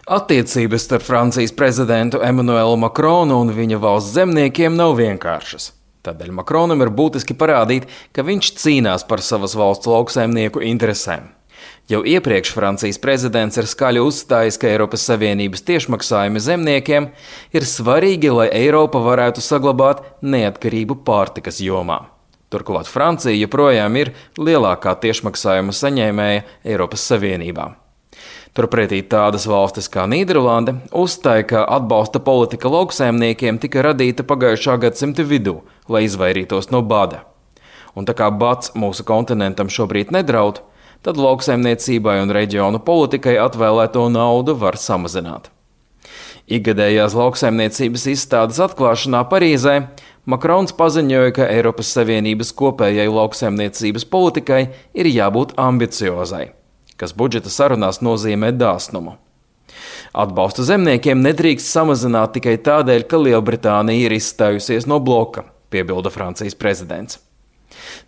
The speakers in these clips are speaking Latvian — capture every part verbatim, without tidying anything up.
Attiecības starp Francijas prezidentu Emmanuelu Macronu un viņa valsts zemniekiem nav vienkāršas. Tādēļ Macronam ir būtiski parādīt, ka viņš cīnās par savas valsts lauksaimnieku interesēm. Jau iepriekš Francijas prezidents ir skaļi uzstājis, ka Eiropas Savienības tiešmaksājumi zemniekiem ir svarīgi, lai Eiropa varētu saglabāt neatkarību pārtikas jomā. Turklāt Francija joprojām ir lielākā tiešmaksājuma saņēmēja Eiropas Savienībā. Turpretī tādas valstis kā Nīderlande uzstāja, ka atbalsta politika lauksaimniekiem tika radīta pagājušā gadsimta vidū, lai izvairītos no bada. Un tā kā bads mūsu kontinentam šobrīd nedraud, tad lauksaimniecībai un reģionu politikai atvēlēto naudu var samazināt. Ikgadējās lauksaimniecības izstādes atklāšanā Parīzē Macrons paziņoja, ka Eiropas Savienības kopējai lauksaimniecības politikai ir jābūt ambiciozai, kas budžeta sarunās nozīmē dāsnumu. Atbalstu zemniekiem nedrīkst samazināt tikai tādēļ, ka Lielbritānija ir izstājusies no bloka, piebilda Francijas prezidents.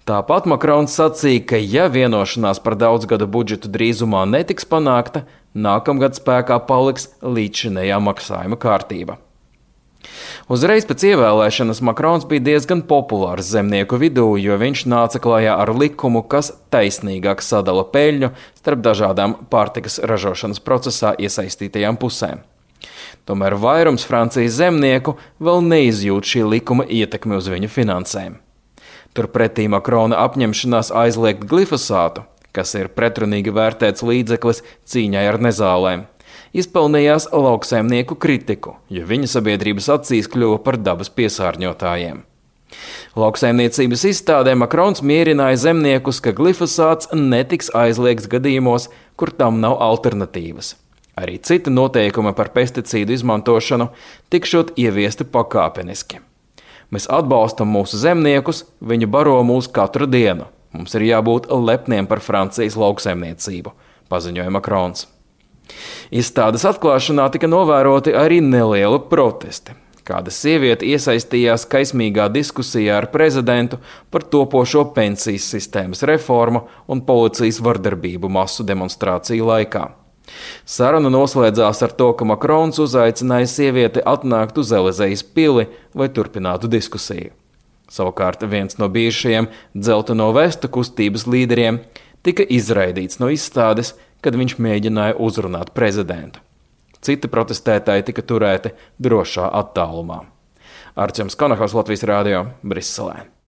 Tāpat Macrons sacīja, ka ja vienošanās par daudzgada budžetu drīzumā netiks panākta, nākamgad spēkā paliks līdzšinējā maksājuma kārtība. Uzreiz pēc ievēlēšanas Macrons bija diezgan populārs zemnieku vidū, jo viņš nāca klajā ar likumu, kas taisnīgāk sadala peļņu starp dažādām pārtikas ražošanas procesā iesaistītajām pusēm. Tomēr vairums Francijas zemnieku vēl neizjūt šī likuma ietekmi uz viņu finansēm. Turpretī Macrona apņemšanās aizliegt glifosātu, kas ir pretrunīgi vērtēts līdzeklis cīņai ar nezālēm, izpelnījās lauksaimnieku kritiku, jo viņa sabiedrības acīs kļuva par dabas piesārņotājiem. Lauksaimniecības izstādē Macrons mierināja zemniekus, ka glifosāts netiks aizliegts gadījumos, kur tam nav alternatīvas. Arī citi noteikumi par pesticīdu izmantošanu tikšot ieviesti pakāpeniski. Mēs atbalstam mūsu zemniekus, viņi baro mūs katru dienu. Mums ir jābūt lepniem par Francijas lauksaimniecību, paziņoja Macrons. Izstādes atklāšanā tika novēroti arī nelieli protesti. Kāda sieviete iesaistījās kaismīgā diskusijā ar prezidentu par topošo pensijas sistēmas reformu un policijas vardarbību masu demonstrāciju laikā. Saruna noslēdzās ar to, ka Macrons uzaicināja sievieti atnākt uz Elizejas pili, lai turpinātu diskusiju. Savukārt viens no bijušajiem dzelteno vestu kustības līderiem tika izraidīts no izstādes, kad viņš mēģināja uzrunāt prezidentu. Citi protestētāji tika turēti drošā attālumā. Arčuns Konahos, Latvijas Rādio, Briselē.